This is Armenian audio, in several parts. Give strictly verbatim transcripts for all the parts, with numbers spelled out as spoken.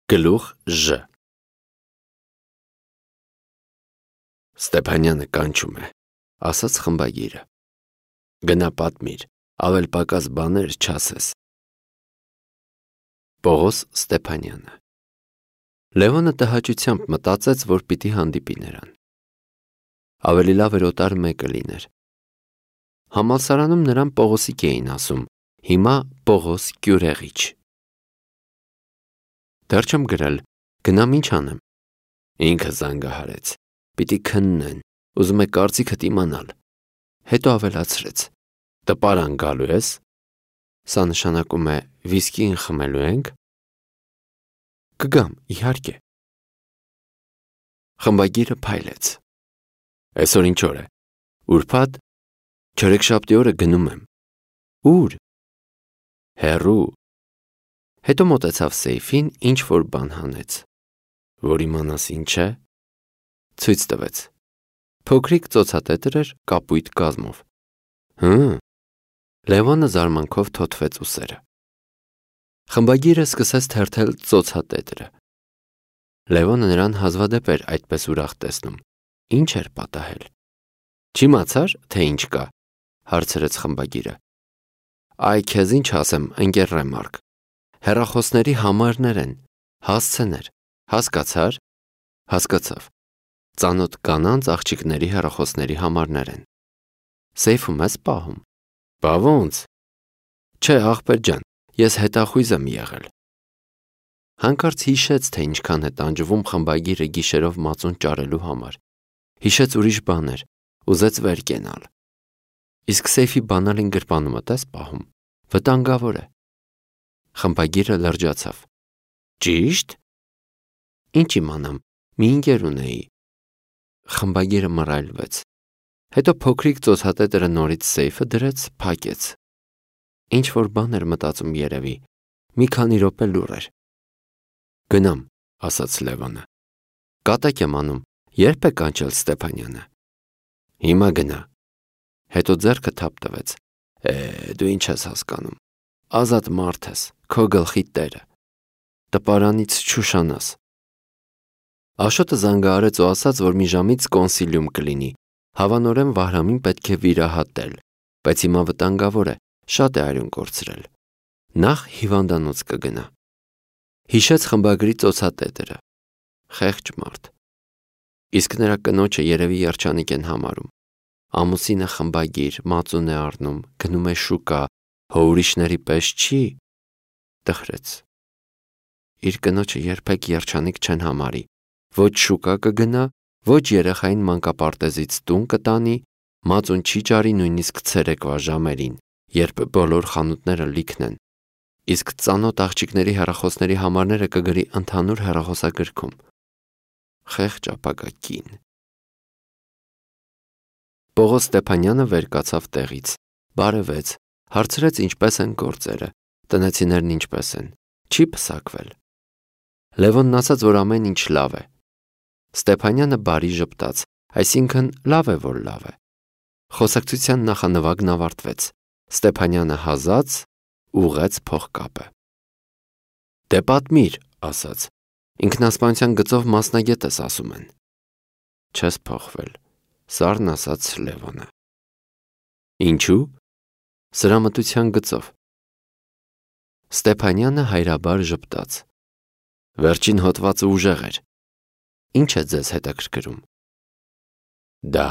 Գլուխ Ժ Ստեփանյանը կանչում է, ասաց խմբագիրը։ Գնա պատմիր, ավել պակաս բաներ չասես։ Պողոս Ստեփանյանը Լևոնը տհաճությամբ մտածեց, որ պիտի հանդիպի նրան։ Ավելի լավ էր օտար մեկը լիներ։ Համալսարանում նրան Պողոսիկ էին ասում, հիմա Պողոս Կյուրեղիչ։ Դեռ չեմ գրել, գնամ ինչ անեմ։ Ինքը զանգահարեց, պիտի քննեն, ուզում է կարծիքդ իմանալ։ Հետո ավելացրեց, տպարան գալու ես։ Սա նշանակում է վիսկին խմելու ենք։ Կգամ, իհարկե։ Խմբագիրը փայլեց։ Այսօր ինչ օր է։ Ուրբաթ, չորեքշաբթի օրը գնում եմ։ Ուր։ Հեռու։ Հետո մոտեցավ սեյֆին, ինչ որ բան հանեց։ Որ իմանաս ինչ է։ Ցույց տվեց։ Փոքրիկ ծոցատետր էր կապույտ կազմով։ Հը։ Լևոնը զարմանքով թոթվեց ուսերը։ Խմբագիրը սկսեց թերթել ծոցատետրը։ Լևոնը նրան հազվադեպ էր այդպես ուրախ տեսնում։ Ինչ էր պատահել։ Չիմացար, թե ինչ կա, հարցրեց խմբագիրը։ Այ քեզ ինչ ասեմ, ընկեր Ռեմարկ։ Հեռախոսների համարներ են, հասցեներ, հասկացար։ Հասկացավ։ Ծանոթ կանանց աղջիկների հեռախոսների համարներ են։ Սեյֆում ես պահում։ Բա ոնց։ Չէ, ախպեր ջան, ես հետախույզ եմ եղել։ Հանկարծ հիշեց, թե ինչքան է տանջվում խմբագիրը գիշերով մածուն ճարելու համար։ Հիշեց ուրիշ բաներ, ուզեց վեր կենալ։ Իսկ սեյֆի բանալին գրպանումը տես պահում, վտանգավոր է։ Խմբագիրը լրջացավ։ Ճիշտ։ Ինչ իմանամ, մի ընկեր ունեի։ Խմբագիրը մռայլվեց։ Հետո փոքրիկ ծոցատետրը նորից սեյֆը դրեց, փակեց։ Ինչ որ բան էր մտածում երևի, մի քանի րոպե լուռ էր։ Գնամ, ասաց Լևոնը։ Կատակ եմ անում, երբ է կանչել Ստեփանյանը։ Հիմա գնա։ Հետո ձեռքը թափ տվեց։ Է, դու ինչ ես հասկանում։ Ազատ մարդ ես, քո գլխի տերը։ Տպարանից չուշանաս։ Աշոտը զանգահարեց ու ասաց, որ մի ժամից կոնսիլիում կլինի։ Հավանորեն Վահրամին պետք է վիրահատել, բայց հիմա վտանգավոր է, շատ է արյուն կորցրել։ Նախ հիվանդանոց կգնա։ Հիշեց խմբագրի ծոցատետրը։ Խեղճ մարդ։ Իսկ նրա կնոջը երևի երջանիկ են համարում։ Ամուսինը խմբագիր, մածուն է առնում, գնում է շուկա, հո ուրիշների պես չի։ Տխրեց։ Իր կնոջը երբեք երջանիկ չեն համարի։ Ոչ շուկա կգնա, ոչ երեխային մանկապարտեզից տուն կտանի, մածուն չի ճարի նույնիսկ ցերեկվա ժամերին, երբ բոլոր խանութները լիքն են։ Իսկ ծանոթ աղջիկների հեռախոսների համարները կգրի ընդհանուր հեռախոսագրքում։ Խեղճ ապագա կին։ Պողոս Ստեփանյանը վեր կացավ տեղից, բարևեց, հարցրեց ինչպես են գործերը, տնեցիներն ինչպես են, չի պսակվել։ Լևոնն ասաց, որ ամեն ինչ լավ է։ Ստեփանյանը բարի ժպտաց, այսինքն լավ է, որ լավ է։ Խոսակցության նախանվագն ավարտվեց։ Ստեփանյանը հազաց, ուղղեց փողկապը։ Դե պատմիր, ասաց, ինքնասպանության գծով մասնագետ ես ասում են։ Չես փոխվել, սառն ասաց Լևոնը։ Ինչու։ Սրամտության գծով։ Ստեփանյանը հայրաբար ժպտաց։ Վերջին հոդվածը ուժեղ էր։ Ինչ է ձեզ հետաքրքրում։ Դա։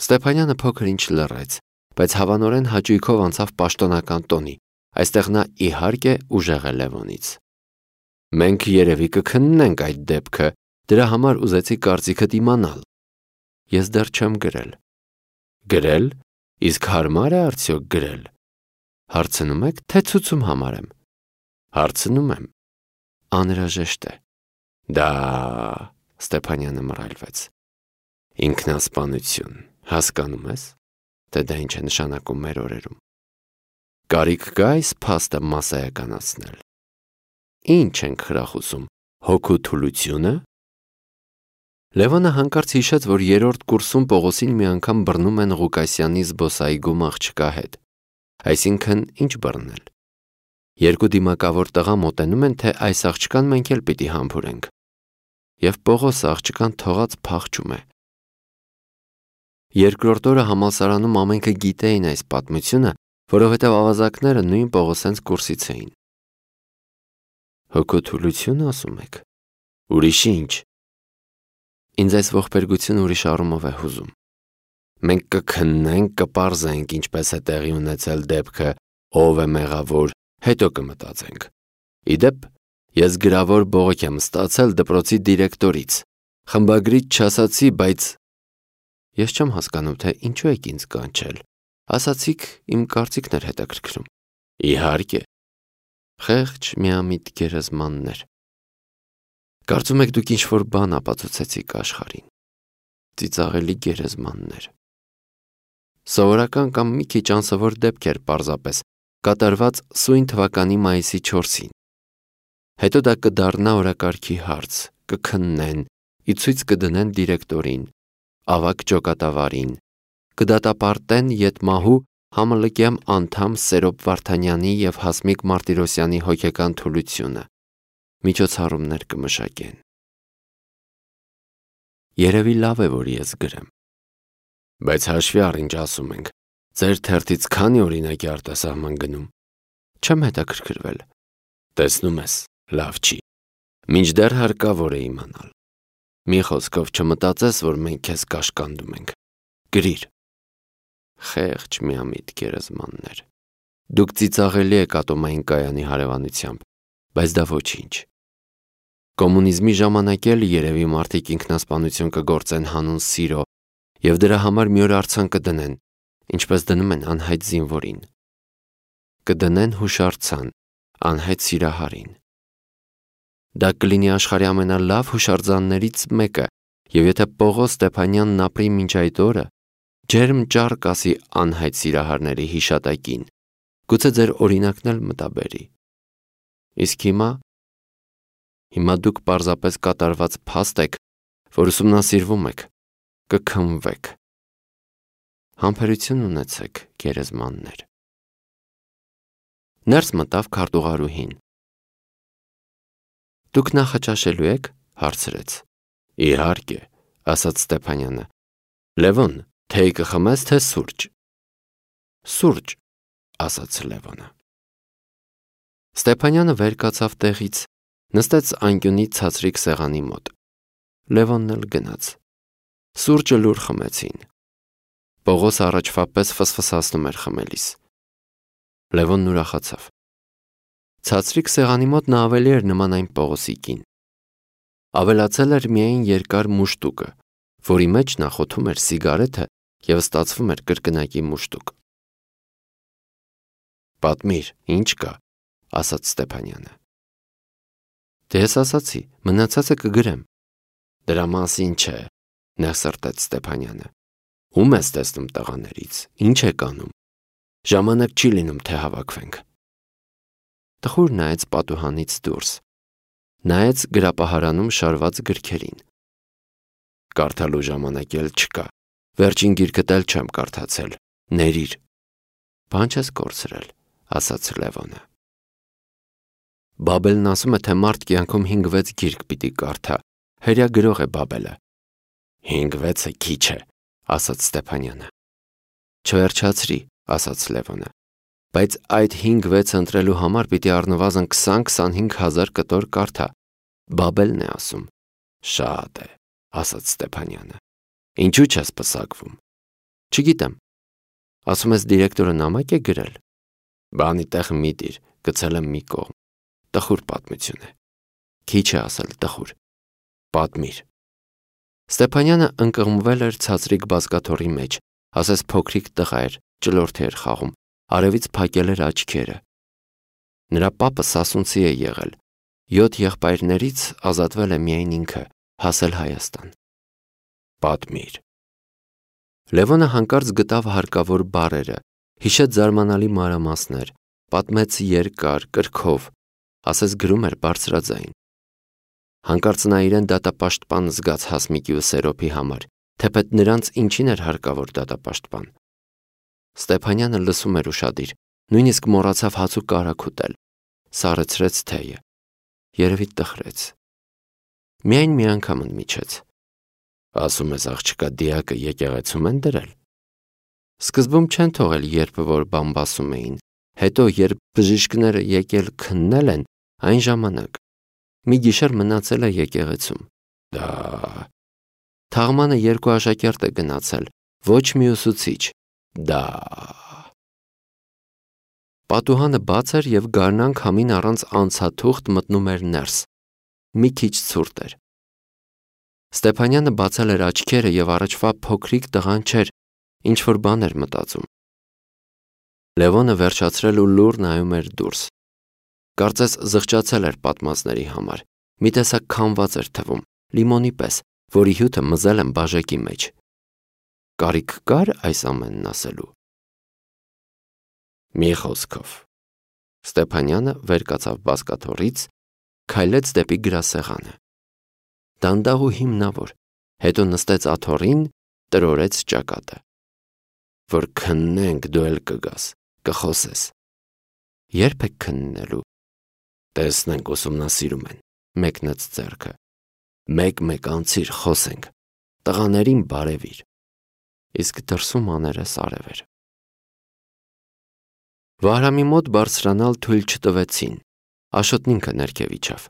Ստեփանյանը փոքր ինչ լռեց, բայց հավանորեն հաճույքով անցավ պաշտոնական տոնի։ Այստեղ նա իհարկե ուժեղ է Լևոնից։ Մենք երևի կքննենք այդ դեպքը, դրա համար ուզեցի կարծիքդ իմանալ։ Ես դեռ չեմ գրել։ Գրել։ Իսկ հարմար է արդյոք գրել։ Հարցնում եք, թե ցուցում համարեմ։ Հարցնում եմ։ Անհրաժեշտ է։ Դա։ Ստեփանյանը մռայլվեց։ Ինքնասպանություն, հասկանում ես, թե դա ինչ է նշանակում մեր օրերում։ Կարիք կա այս փաստը մասսայականացնել։ Ինչ ենք խրախուսում, հոգու թուլությունը։ Լևոնը հանկարծ հիշեց, որ երրորդ կուրսում Պողոսին մի անգամ բռնում են Ղուկասյանի զբոսայգում աղջկա հետ։ Այսինքն ինչ բռնել։ Երկու դիմակավոր տղա մոտենում են, թե այս աղջկան մենք էլ պիտի համբուրենք։ Եվ Պողոսը աղջկան թողած փախչում է։ Երկրորդ օրը համալսարանում ամենքը գիտեին այս պատմությունը, որովհետև ավազակները նույն Պողոսենց կուրսից էին։ Հոգոթուլություն ասում եք։ Ուրիշ ինչ։ Ինձ այս ողբերգությունը ուրիշ առումով է հուզում։ Մենք կքննենք, կպարզենք, ինչպես է տեղի ունեցել դեպքը, ով է մեղավոր, հետո կմտածենք։ Իդեպ, ես գրավոր բողոք եմ ստացել դպրոցի դիրեկտորից, խմբագրից չասացի, բայց ես չեմ հասկանում, թե ինչու եք ինձ կանչել։ Ասացիք, իմ կարծիքն էր հետաքրքրում։ Իհարկե։ Խեղճ միամիտ գերեզմաններ։ Կարծում եք դուք ինչ-որ բան ապացուցեցիք աշխարհին։ Ծիծաղելի գերեզմաններ։ Սովորական կամ մի քիչ անսովոր դեպք էր պարզապես, կատարված սույն թվականի մայիսի չորսին։ Հետո դա կդառնա օրակարգի հարց, կքննեն, ի ցույց կդնեն դիրեկտորին, ավագ ջոկատավարին, կդատապարտեն ետմահու համալկյամ անդամ Սերոբ Վարդանյանի և Հասմիկ Մարտիրոսյանի հոգեկան թուլությունը, միջոցառումներ կմշակեն։ Երևի լավ է, որ ես գրեմ։ Բայց հաշվի առ ինչ ասում ենք, ձեր թերթից քանի օրինակի արտասահման գնում։ Չեմ հետաքրքրվել։ Տեսնում ես, լավ չի։ Մինչդեռ հարկավոր է իմանալ։ Մի խոսքով չմտածես, որ մենք քեզ կաշկանդում ենք։ Գրիր։ Խեղճ միամիտ գերեզմաններ։ Դուք ծիծաղելի եք ատոմային կայանի հարևանությամբ, բայց դա ոչինչ։ Կոմունիզմի ժամանակ էլ երևի մարդիկ ինքնասպանություն կգործեն հանուն սիրո և դրա համար մի օր արձան կդնեն, ինչպես դնում են անհայտ զինվորին։ Կդնեն հուշարձան անհայտ սիրահարին։ Դա կլինի աշխարհի ամենալավ հուշարձաններից մեկը, և եթե Պողոս Ստեփանյանն ապրի մինչ այդ օրը, ջերմ ճառ կասի անհայտ սիրահարների հիշատակին, գուցե ձեր օրինակն էլ մտաբերի։ Իսկ հիմա, հիմա դուք պարզապես կատարված փաստ եք, որ ուսումնասիրվում եք, կքննվեք։ Համբերություն ունեցեք, գերեզմաններ։ Ներս մտավ քարտուղարուհին։ Դուք նախաճաշելու եք, հարցրեց։ Իհարկե, ասաց Ստեփանյանը։ Լևոն, թեյ կխմես, թե սուրճ։ Սուրճ, ասաց Լևոնը։ Ստեփանյանը վեր կացավ տեղից, նստեց անկյունի ցածրիկ սեղանի մոտ։ Լևոնն էլ գնաց։ Սուրճը լուր խմեցին։ Պողոսը առաջվա պես ֆսֆսացնում էր խմելիս։ Լևոնն ուրախացավ։ Ցածրիկ սեղանի մոտ նա ավելի էր նման այն Պողոսիկին։ Ավելացել էր միայն երկար մուշտուկը, որի մեջ նա խոթում էր սիգարեթը և ստացվում էր կրկնակի մուշտուկ։ Պատմիր, ինչ կա, ասաց Ստեփանյանը։ Դե ես ասացի, մնացածը կգրեմ։ Դրա մասին չէ, նեղսրտեց Ստեփանյանը։ Ում ես տեսնում տղաներից, ինչ եք անում։ Ժամանակ չի լինում, թե հավաքվենք։ Տխուր նայեց պատուհանից դուրս։ Նայեց գրապահարանում շարված գրքերին։ Կարդալու ժամանակ էլ չկա։ Վերջին գիրքդ էլ չեմ կարդացել։ Ներիր։ Բան չես կորցրել, ասաց Լևոնը։ Բաբելն ասում է, թե մարդ կյանքում հինգ-վեց գիրք պիտի կարդա։ Հերյա գրող է Բաբելը։ Հինգ-վեցը քիչ է, ասաց Ստեփանյանը։ Չվերջացրի, ասաց Լևոնը։ Բայց այդ հինգ-վեցը ընտրելու համար պիտի առնվազն քսան-քսանհինգ հազար կտոր կարդա։ Բաբելն է ասում։ Շատ է, ասաց Ստեփանյանը։ Ինչու չես պսակվում։ Չգիտեմ։ Ասում ես դիրեկտորը նամակ է գրել։ Բանի տեղ մի դիր, գցել եմ մի կողմ։ Տխուր պատմություն է։ Քիչ է ասել տխուր։ Պատմիր։ Ստեփանյանը ընկղմվել էր ցածրիկ բազկաթոռի մեջ, ասես փոքրիկ տղա էր, ճլորթի էր խաղում, արևից փակել էր աչքերը։ Նրա պապը սասունցի է եղել, յոթ եղբայրներից ազատվել է միայն ինքը, հասել Հայաստան։ Պատմիր։ Լևոնը հանկարծ գտավ հարկավոր բառերը, հիշեց զարմանալի մանրամասներ, պատմեց երկար, կրքով, ասես գրում էր բարձրաձայն։ Հանկարծ նա իրեն դատապաշտպան զգաց Հասմիկի ու Սերոբի համար, թեպետ նրանց ինչին էր հարկավոր դատապաշտպան։ Ստեփանյանը լսում էր ուշադիր, նույնիսկ մոռացավ հաց ու կարագ ուտել, սառեցրեց թեյը, երևի տխրեց։ Միայն մի անգամ ընդմիջեց. ասում ես աղջկա դիակը եկեղեցում են դրել։ Սկզբում չեն թողել, երբ որ բամբասում էին, հետո երբ բժիշկները եկել քննել են, այն ժամանակ մի գիշեր մնացել է եկեղեցում։ Դա թաղմանը երկու աշակերտ է գնացել, ոչ մի ուսուցիչ։ Դա Պատուհանը բաց էր և գարնան քամին առանց անցաթուղթ մտնում էր ներս։ Մի քիչ ցուրտ էր։ Ստեփանյանը բացել էր աչքերը և առաջվա փոքրիկ տղան չէր, ինչ-որ բան էր մտածում։ Լևոնը վերջացրել ու լուռ նայում էր դուրս։ Կարծես զղջացել էր պատմածների համար, մի տեսակ քամված էր թվում, լիմոնի պես, որի հյութը մզել են բաժակի մեջ։ Կարիք կար այս ամենն ասելու։ Մի խոսքով։ Ստեփանյանը վեր կացավ բազկաթոռից, քայլեց դեպի գրասեղանը։ Դանդաղ ու հիմնավոր, հետո նստեց աթոռին, տրորեց ճակատը։ Որ քննենք դու էլ կգաս, կխոսես։ Երբ եք քննելու։ Տեսնենք, ուսումնասիրում են, մեկնեց ձեռքը։ Մեկ-մեկ անցիր, խոսենք, տղաներին բարևիր։ Իսկ դրսում աներես արև էր։ Վահրամի մոտ բարձրանալ թույլ չտվեցին, Աշոտն ինքը ներքև իջավ։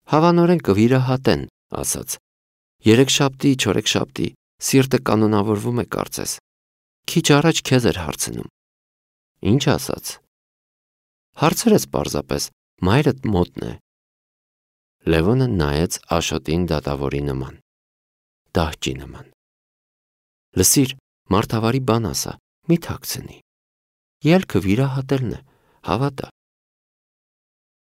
Հավանորեն կվիրահատեն, ասաց։ Երեքշաբթի, չորեքշաբթի, սիրտը կանոնավորվում է կարծես։ Քիչ առաջ քեզ էր հարցնում։ Ինչ ասաց։ Հարցրեց պարզապես, մայրդ մոտն է։ Լևոնը նայեց Աշոտին դատավորի նման, դահճի նման։ Լսիր, մարդավարի բան ասա, մի թաքցնի։ Ելքը վիրահատելն է, հավատա։